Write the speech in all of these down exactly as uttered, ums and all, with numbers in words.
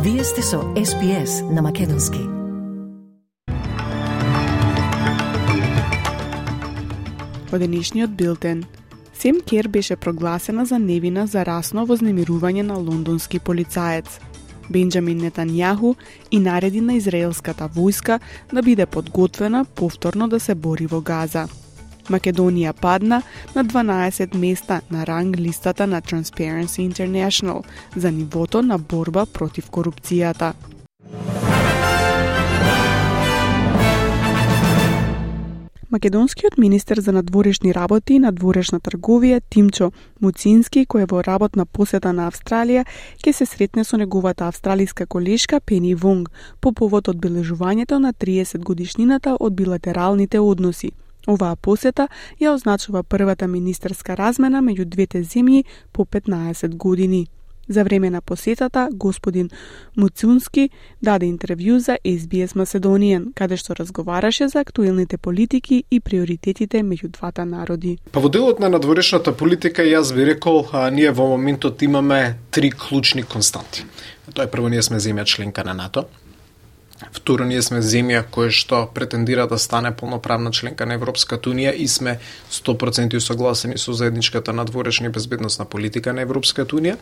Вие сте со Ес Би Ес на Македонски. Во денешниот билтен, Сем Кер беше прогласена за невина за расно вознемирување на лондонски полицаец. Бенџамин Нетањаху и нареди на израелската војска да биде подготвена повторно да се бори во Газа. Македонија падна на дванаесет места на ранг листата на Transparency International за нивото на борба против корупцијата. Македонскиот министер за надворешни работи и надворешна трговија Тимчо Муцински, кој е во работна посета на Австралија, ќе се сретне со неговата австралиска колешка Пени Вонг по повод одбележувањето на триесет годишнината од билатералните односи. Оваа посета ја означува првата министерска размена меѓу двете земји по петнаесет години. За време на посетата, господин Муцунски даде интервју за Ес Би Ес Macedonian, каде што разговараше за актуелните политики и приоритетите меѓу двата народи. Па во делот на надворешната политика, јас би рекол, а, ние во моментот имаме три клучни константи. Тоа е прво, ние сме земја членка на НАТО. Второ, ние сме земја која што претендира да стане полноправна членка на Европската унија и сме сто проценти согласени со заедничката надворешна и безбедносна политика на Европската унија.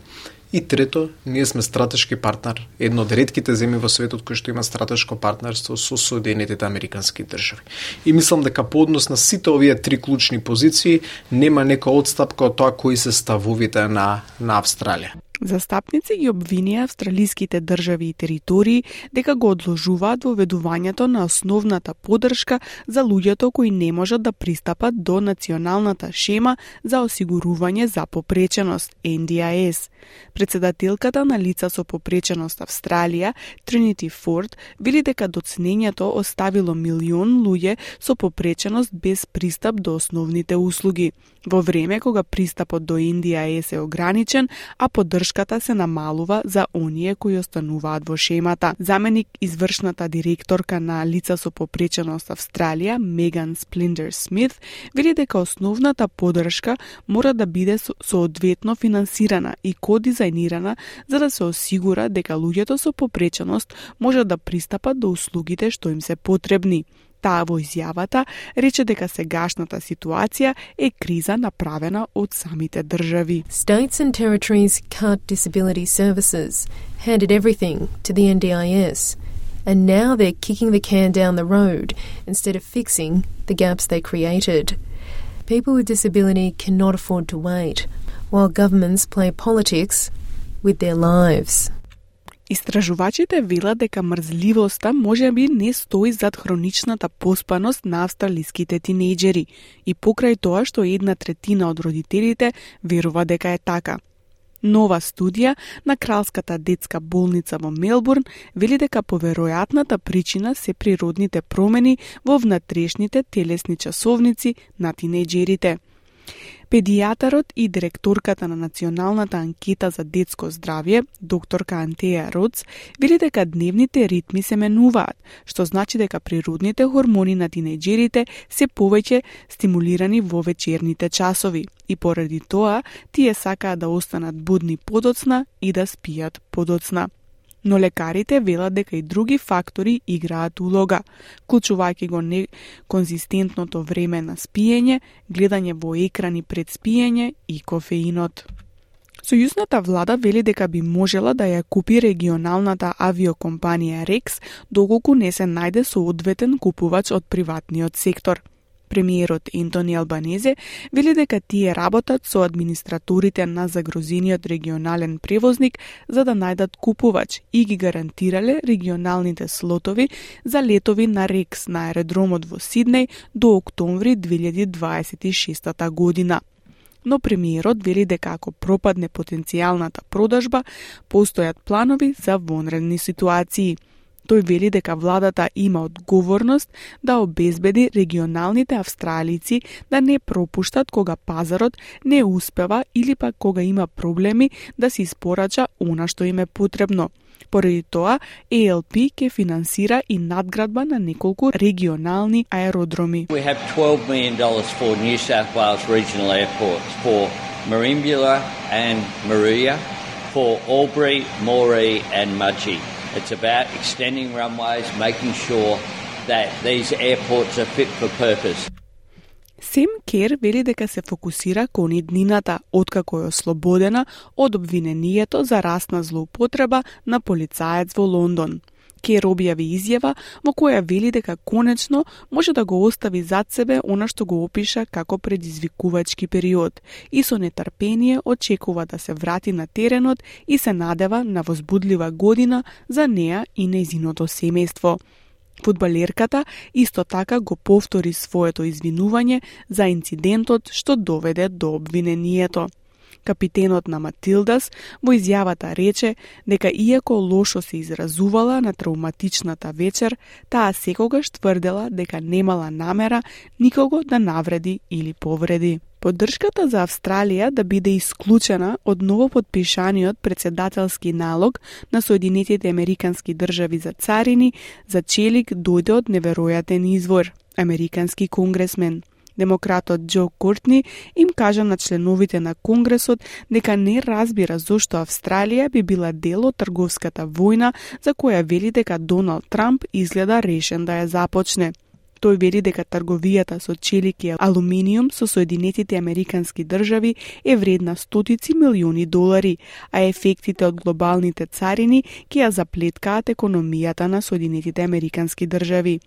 И трето, ние сме стратешки партнер, едно од ретките земји во светот кој што има стратешко партнерство со Соединетите Американски држави. И мислам дека по однос на сите овие три клучни позиции нема нека одстапка од тоа кои се ставовите на на Австралија. Застапници ги обвинија австралиските држави и територии дека го одложуваат воведувањето на основната поддршка за луѓето кои не можат да пристапат до националната шема за осигурување за попреченост Ен Ди Ай Ес. Председателката на лица со попреченост Австралија, Тринити Форд, вели дека доцнењето оставило милион луѓе со попреченост без пристап до основните услуги, во време кога пристапот до Ен Ди Ай Ес е ограничен, а поддршката се намалува за оние кои остануваат во шемата. Заменик извршната директорка на лица со попреченост Австралија, Меган Сплиндер Смит, вели дека основната поддршка мора да биде соодветно финансирана и кодизајнирана за да се осигура дека луѓето со попреченост можат да пристапат до услугите што им се потребни. Таа во изјавата рече дека сегашната ситуација е криза направена од самите држави. States and territories cut disability services, handed everything to the Ен Ди Ай Ес, and now they're kicking the can down the road instead of fixing the gaps they created. People with disability cannot afford to wait, while governments play politics with their lives. Истражувачите велат дека мрзливоста можеби не стои зад хроничната поспаност на австралиските тинејџери и покрај тоа што една третина од родителите верува дека е така. Нова студија на Кралската детска болница во Мелбурн вели дека поверојатната причина се природните промени во внатрешните телесни часовници на тинејџерите. Педијатарот и директорката на Националната анкета за детско здравје, докторка Антеја Роц, вели дека дневните ритми се менуваат, што значи дека природните хормони на тинејџерите се повеќе стимулирани во вечерните часови и поради тоа тие сакаат да останат будни подоцна и да спијат подоцна. Но лекарите велат дека и други фактори играат улога, вклучувајќи го неконзистентното време на спиење, гледање во екрани пред спиење и кофеинот. Сојузната влада вели дека би можела да ја купи регионалната авиокомпанија Рекс, доколку не се најде соодветен купувач од приватниот сектор. Премиерот Ентони Албанезе вели дека тие работат со администраторите на загрозениот регионален превозник за да најдат купувач и ги гарантирале регионалните слотови за летови на Рекс на аеродромот во Сиднеј до октомври две илјади дваесет и шеста година. Но премиерот вели дека ако пропадне потенцијалната продажба, постојат планови за вонредни ситуации. Тој вели дека владата има одговорност да обезбеди регионалните австралици да не пропуштат кога пазарот не успева или пак кога има проблеми да се испорача она што им е потребно. Поради тоа, Ей Ел Пи ќе финансира и надградба на неколку регионални аеродроми. We have twelve million dollars for New South Wales regional airports, for Merimbula and Maria, for Albury, Moree and Mudgee. It's about extending runways, making sure that these airports are fit for purpose. Сем Кер вели дека се фокусира кон иднината, откако е ослободена од обвинението за расна злоупотреба на полицаец во Лондон. Кер објави изјава во која вели дека конечно може да го остави зад себе она што го опиша како предизвикувачки период и со нетрпение очекува да се врати на теренот и се надева на возбудлива година за неа и нејзиното семејство. Фудбалерката исто така го повтори своето извинување за инцидентот што доведе до обвинението. Капитенот на Матилдас во изјавата рече дека иако лошо се изразувала на травматичната вечер, таа секогаш тврдела дека немала намера никого да навреди или повреди. Поддршката за Австралија да биде исклучена од новопотпишаниот председателски налог на Соединетите Американски држави за царини за челик дојде од неверојатен извор – американски конгресмен. Демократот Џо Кортни им кажа на членовите на Конгресот дека не разбира зошто Австралија би била дел од трговската војна за која вели дека Доналд Трамп изгледа решен да ја започне. Тој вели дека трговијата со челик и алуминиум со Соединетите Американски држави е вредна стотици милиони долари, а ефектите од глобалните царини ќе ја заплеткаат економијата на Соединетите Американски држави.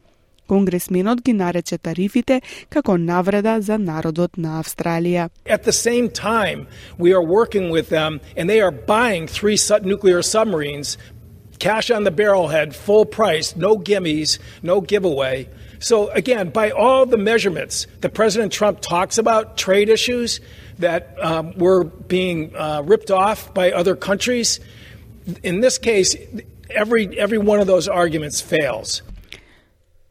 Конгресменот ги нарече тарифите како навреда за народот на Австралија. At the same time, we are working with them and they are buying three nuclear submarines, cash on the barrelhead, full price, no gimmies, no giveaway. So again, by all the measurements that President Trump talks about, trade issues that um, were being uh, ripped off by other countries, in this case, every every one of those arguments fails.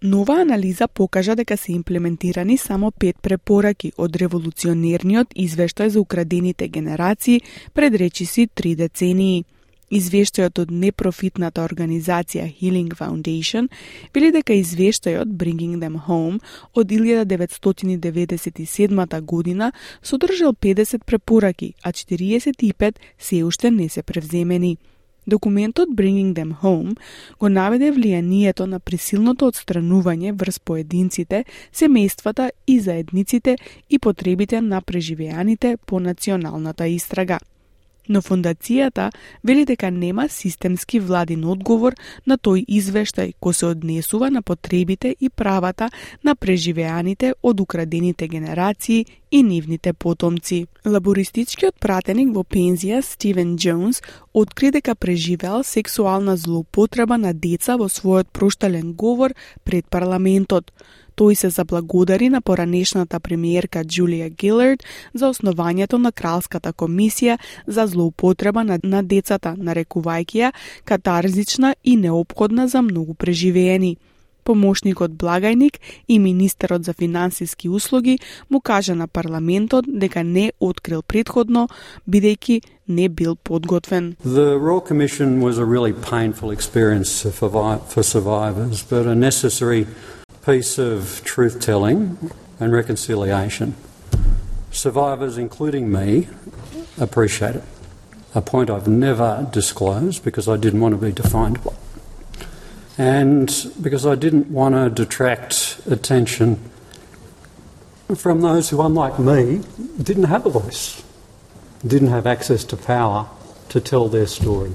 Нова анализа покажа дека се имплементирани само пет препораки од револуционерниот извештај за украдените генерации пред речиси три децении. Извештајот од непрофитната организација Healing Foundation вели дека извештајот Bringing Them Home од илјада деветстотини деветдесет и седма година содржал педесет препораки, а четириесет и пет се уште не се превземени. Документот Bringing Them Home го наведе влијанието на присилното отстранување врз поединците, семејствата и заедниците и потребите на преживеаните по националната истрага. Но фондацијата вели дека нема системски владин одговор на тој извештај кој се однесува на потребите и правата на преживеаните од украдените генерации и нивните потомци. Лабористичкиот пратеник во пензија Стивен Джонс откри дека преживеал сексуална злоупотреба на деца во својот проштален говор пред парламентот. Тој се заблагодари на поранешната премиерка Џулија Гилард за основањето на Кралската комисија за злоупотреба на, на децата, нарекувајќи ја катарзична и неопходна за многу преживеени. Помошникот благајник и министерот за финансиски услуги му кажа на парламентот дека не открил претходно, бидејќи не бил подготвен. The Royal Commission was a really painful experience for, for survivors, but a necessary piece of truth-telling and reconciliation. Survivors, including me, appreciate it. A point I've never disclosed because I didn't want to be defined by. And because I didn't want to detract attention from those who, unlike me, didn't have a voice, didn't have access to power to tell their story.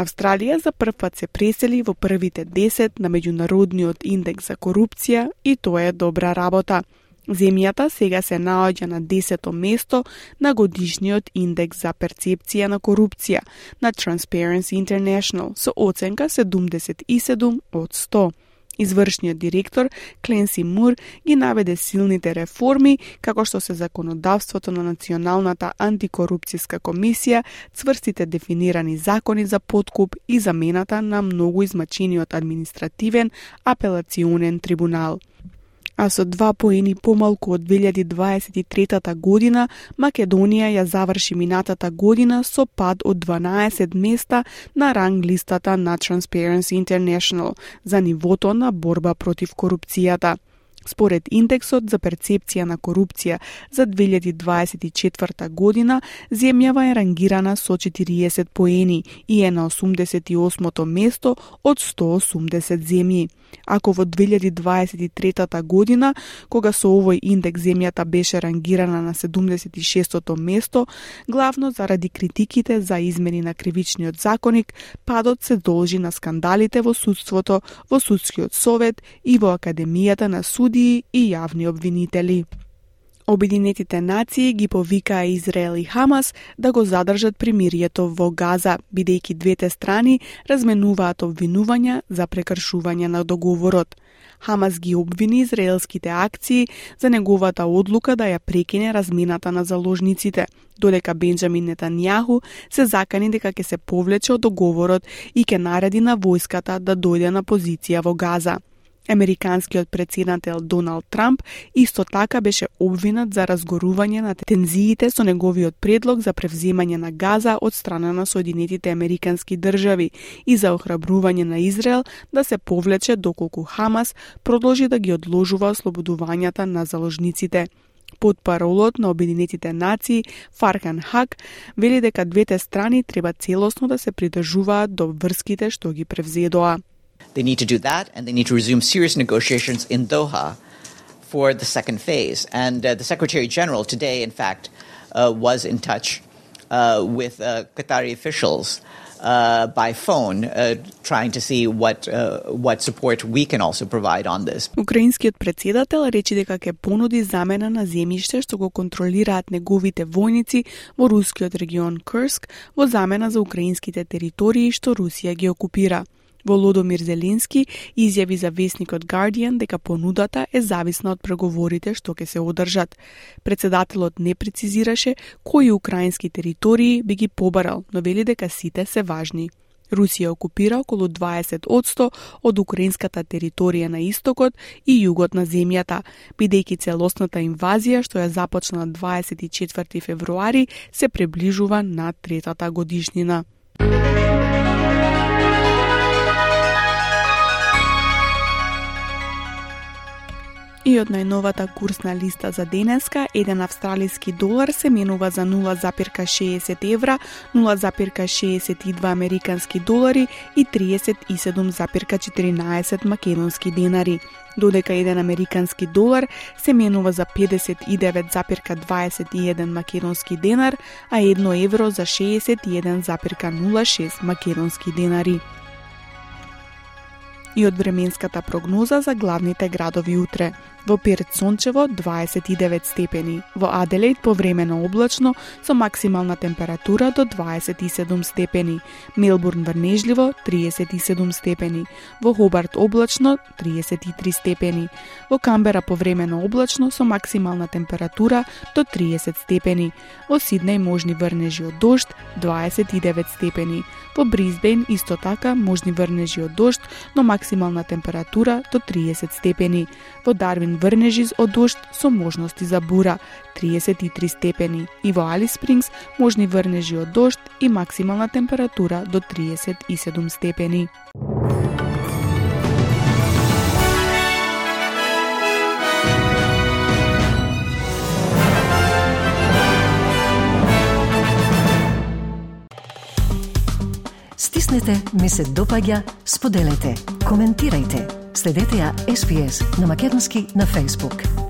Австралија за прв пат се пресели во првите десет на меѓународниот индекс за корупција и тоа е добра работа. Земјата сега се наоѓа на десето место на годишниот индекс за перцепција на корупција на Transparency International со оценка седумдесет и седум од сто. Извршниот директор Кленси Мур ги наведе силните реформи, како што се законодавството на Националната антикорупцијска комисија, цврстите дефинирани закони за подкуп и замената на многу измачениот административен апелационен трибунал. А со два поени помалку од две илјади дваесет и трета година, Македонија ја заврши минатата година со пад од дванаесет места на ранг листата на Transparency International за нивото на борба против корупцијата. Според индексот за перцепција на корупција за две илјади дваесет и четврта година, земјава е рангирана со четириесет поени и е на осумдесет и осмото место од сто осумдесет земји. Ако во две илјади дваесет и трета година, кога со овој индекс земјата беше рангирана на седумдесет и шестото место, главно заради критиките за измени на кривичниот законник, падот се должи на скандалите во судството, во судскиот совет и во Академијата на судии и јавни обвинители. Обединетите нации ги повикаа Израел и Хамас да го задржат примирието во Газа, бидејќи двете страни разменуваат обвинувања за прекршување на договорот. Хамас ги обвини израелските акции за неговата одлука да ја прекине размената на заложниците, додека Бенџамин Нетањаху се закани дека ќе се повлече од договорот и ќе нареди на војската да дојде на позиција во Газа. Американскиот претседател Доналд Трамп исто така беше обвинат за разгорување на тензиите со неговиот предлог за превземање на Газа од страна на Соединетите Американски држави и за охрабрување на Израел да се повлече доколку Хамас продолжи да ги одложува ослободувањата на заложниците. Потпаролот на Обединетите нации Фархан Хак вели дека двете страни треба целосно да се придржуваат до врските што ги превзедоа. They need to do that, and they need to resume serious negotiations in Doha for the second phase. And uh, the Secretary General today, in fact, uh, was in touch uh, with uh, Qatari officials uh, by phone, uh, trying to see what uh, what support we can also provide on this. Украинскиот претседател рече дека ќе понуди замена на земјиште што го контролираат неговите војници во рускиот регион Курск во замена за украинските територии што Русија ги окупира. Володомир Зеленски изјави за весникот Guardian дека понудата е зависна од преговорите што ќе се одржат. Претседателот не прецизираше кои украински територии би ги побарал, но вели дека сите се важни. Русија окупира околу дваесет одсто од украинската територија на истокот и југот на земјата, бидејќи целосната инвазија што ја започна дваесет и четврти февруари се приближува на третата годишнина. И од најновата курсна листа за денеска, еден австралиски долар се менува за нула запирка шеесет евра, нула запирка шеесет и два американски долари и триесет и седум запирка четиринаесет македонски денари, додека еден американски долар се менува за педесет и девет запирка дваесет и еден македонски денар, а едно евро за шеесет и еден запирка нула шест македонски денари. И од временската прогноза за главните градови утре. Во Перт сончево дваесет и девет степени, во Аделаид повремено облачно со максимална температура до дваесет и седум степени, Мелбурн врнежливо триесет и седум степени, во Хобарт облачно триесет и три степени, во Камбера повремено облачно со максимална температура до триесет степени, во Сиднеј можни врнежи од дожд дваесет и девет степени, во Брисбејн исто така можни врнежи од дожд, но максимална температура до триесет степени, во Дарвин врнежи од дожд со можности за бура триесет и три степени и во Алис Спрингс можни врнежи од дожд и максимална температура до триесет и седум степени. Стиснете, ми се допаѓа, споделете, коментирајте. Следете ја Ес Би Ес на македонски на Facebook.